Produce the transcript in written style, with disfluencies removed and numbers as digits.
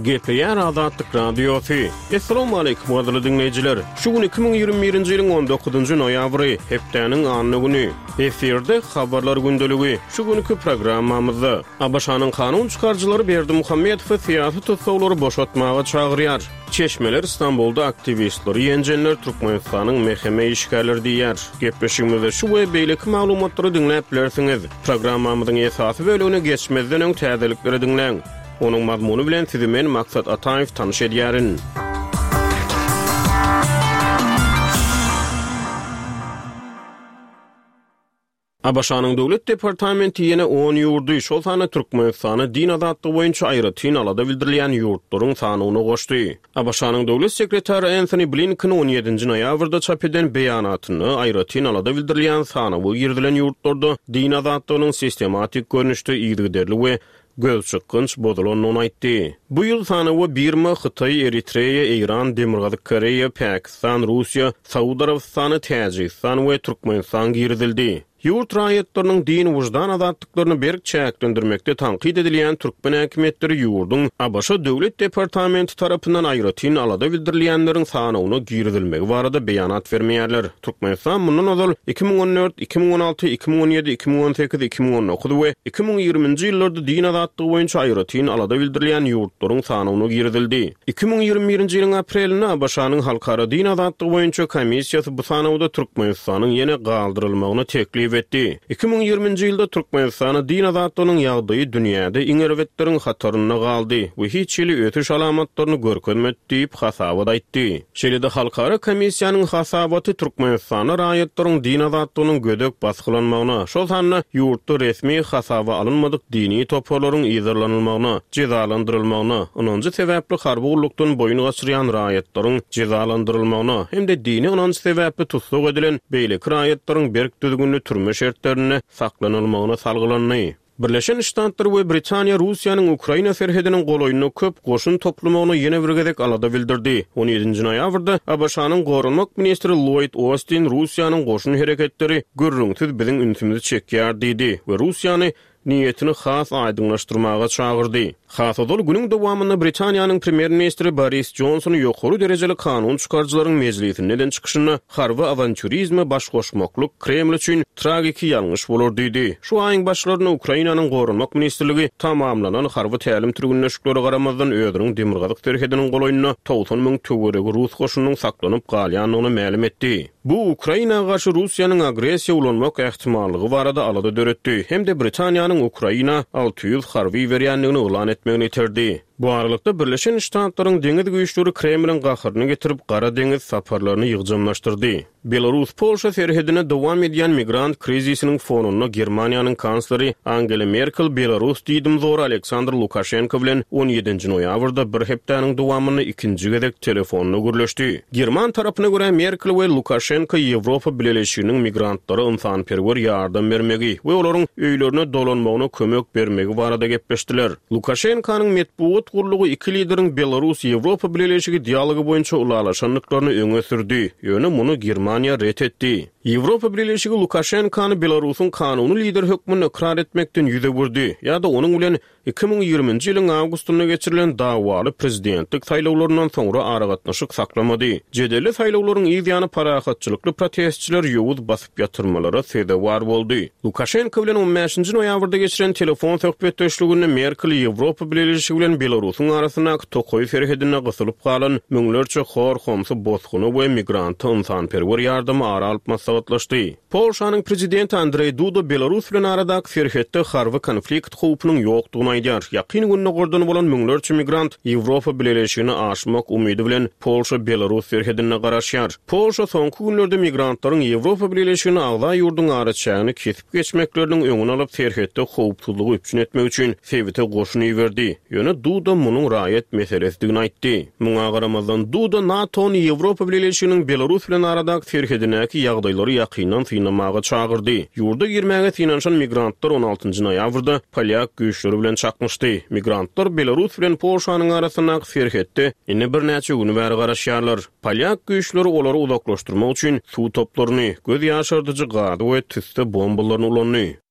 Gepleýär Azatlyk Radiosy. Assalamualaikum gadyrly diňleýjiler. Şu gün 2021-nji ýylyň 19-njy noýabry, hepdäniň anna güni. Efirde habarlar gündeligi. Şu günki programmamyzda ABŞ-nyň kanun çykaryjylary Berdimuhamedowy syýasy tussaglary boşatmaga çagyrýar. Çeşmeler Stambulda aktiwistleri ýenjenler Türkmenistanyň MHM işgärleri diýýär. Gepleşigimizde şu we beýleki maglumatlary diňläp bilersiňiz. Programmamyzyň esasy bölegine geçmezden öň täzelikleri diňläň. Onuň mazmuny bilen sizi men Maksat Ataýew tanyş edýärin. ABŞ-nyň Döwlet departamenti ýene on ýurdy, şol sanda Türkmenistany din azatlygy boýunça aýratyn alada bildirilýän ýurtlaryň sanawyna goşdy. ABŞ-nyň Döwlet sekretary Entoni Blinken on ýedinji noýabrda çap eden beýanatynda aýratyn alada bildirilýän sanawa girizilen ýurtlarda din azatlygynyň sistematik görnüşde yzygiderli we gözçykgynç bozulandygyny aýtdy. Bu ýyl sanawa Birma, Hytaý, Eritreýa, Eýran, Demirgazyk Koreýa, Pakistan, Russiýa, Saud Arabystany, Täjigistan we Türkmenistan girizildi. Ýurt raýatlarynyň din-wyždan azatlyklaryny berk çäklendirmekde tankyt edilýän türkmen häkimiýetleri ýurduň ABŞ Döwlet departamenti tarapyndan aýratyn alada bildirilýänleriň sanawyna girizilmegi barada beýanat bermeýärler. Türkmenistan mundan ozal 2014, 2016, 2017, 2018, 2019 we 2020-nji ýyllarda din azatlygy boýunça aýratyn alada bildirilýän ýurtlaryň sanawyna girizildi. 2021-nji ýylyň aprelinde ABŞ-nyň Halkara din azatlygy boýunça komissiýasy bu sanawda Türkmenistanyň ýene galdyrylmagyny teklip etdi. 2020-nji ýylda Türkmenistanda din azatlygynyň ýagdaýy dünýäde iň erbetleriň hatarynda galdy we hiç hili ösüş alamatlaryny görkezmedi diýip, hasabat aýtdy. Şeýle-de halkara komissiýanyň hasabaty Türkmenistanda raýatlaryň din azatlygynyň gödek basgylanmagyna, şol sanda ýurtda resmi hasaba alynmadyk dini toparlaryň yzarlanylmagyna, jezalandyrylmagyna, ynanjy sebäpli harby gullukdan boýun gaçyrýan raýatlaryň jezalandyrylmagyna hem-de dini ynanç sebäpli tussag edilen beýleki raýatlaryň berk düzgünli türme şertlerinde saklanylmagyna salgylandy. Birleşen Ştatlar we Britaniýa Russiýanyň Ukraina serhediniň golaýynda köp goşun toplamagyna ýene bir gezek alada bildirdi. On ýedinji noýabrda ABŞ-nyň goranmak ministri Lloýd Ostin Russiýanyň goşun hereketleri gürrüňsiz biziň ünsümizi çekýär diýdi we Russiýany niýetini has aýdyňlaşdyrmaga çagyrdy. Has ozal günüň dowamynda Britaniýanyň premýer-ministri Boris Jonson ýokary derejeli kanun çykaryjylaryň mejlisinde eden çykyşynda harby awantýurizme baş goşmaklyk Kreml üçin tragiki ýalňyş bolar diýdi. Şu aýyň başlarynda Ukrainanyň Goranmak ministrligi tamamlanan harby tälim-türgenleşiklere garamazdan özüniň demirgazyk serhediniň golaýynda 90 müň töweregi rus goşunynyň saklanyp galýandygyny mälim etdi. Bu Ukraina garşy Russiýanyň agressiýa ulanmak ähtimallygy barada alada döretdi hem-de Britaniýanyň Ukraina 600 harby iberýändigini yglan etmegine iterdi. Bu aralykda, Birleşen Ştatlaryň deňiz güýçleri Kremliň gaharyny getirip, Gara deňiz saparlaryny ýygjamlaşdyrdy. Belarus-Polşa serhedinde dowam edýän migrant krizisiniň fonunda Germaniýanyň kansleri Angela Merkel belarus diýdimzory Aleksandr Lukaşenko bilen on ýedinji noýabrda bir hepdäniň dowamynda ikinji gezek telefonda gürleşdi. German tarapyna görä, Merkel we Lukaşenko Ýewropa Bileleşiginiň migrantlara ynsanperwer ýardam bermegi we olaryň öýlerine dolanmagyna kömek bermegi barada gepleşdiler. Lukaşenkonyň metbugat gullugy iki lideriň Belarus-Ýewropa Bileleşigi dialogy boýunça ylalaşandyklaryny öňe sürdi, ýöne muny Germaniýa ret etdi. Ýewropa Bileleşigi Lukaşenkony Belarusyň kanuny lideri hökmünde ykrar etmekden ýüz öwürdi ýa-da onuň bilen 2020-nji ýylyň awgustynda geçirilen dawaly prezidentlik saýlawlaryndan soňra aragatnaşyk saklamady. Jedelli saýlawlaryň yz ýany parahatçylykly protestçiler ýowuz basyp ýatyrmalara sezewar boldy. Lukaşenko bilen on bäşinji noýabrda geçiren telefon söhbetdeşliginde Merkel Ýewropa Bileleşigi bilen Belarusyň arasyndaky tokaý serhedinde gysylyp galan müňlerçe hor-homsy bosguna we migranta ynsanperwer ýardamy ara alyp maslahatlaşdy. Polşanyň prezidenti Andreý Duda Belarus bilen aradaky serhetde harby konflikt howpunyň ýokdugyny aýdýar. Ýakyn Gündogardan bolan müňlerçe migrant Ýewropa Bileleşigine aşmak umydy bilen Polşa-Belarus serhedinde garaşýar. Polşa soňky günlerde migrantlaryň Ýewropa Bileleşigine agza ýurduň araçägini kesip geçmekleriniň öňüni alyp, serhetde howpsuzlygy üpjün etmek üçin sebite goşun iberdi. Ýöne Duda munuň raýat meselesidigini aýtdy. Muňa garamazdan, Duda NATO-ny Ýewropa Bileleşiginiň Belarus bilen aradaky serhedindäki ýagdaýlary ýakyndan synlamaga çagyrdy. Ýurda girmäge synanyşan migrantlar on altynjy noýabrda polýak güýçleri bilen çaknyşdy. Migrantlar Belarus bilen Polşanyň arasyndaky serhetde indi birnäçe gün bäri garaşýarlar. Polýak güýçleri olary uzaklaşdyrmak üçin suw toplaryny, göz ýaşardyjy gazy we tüsse bombalaryny ulandy.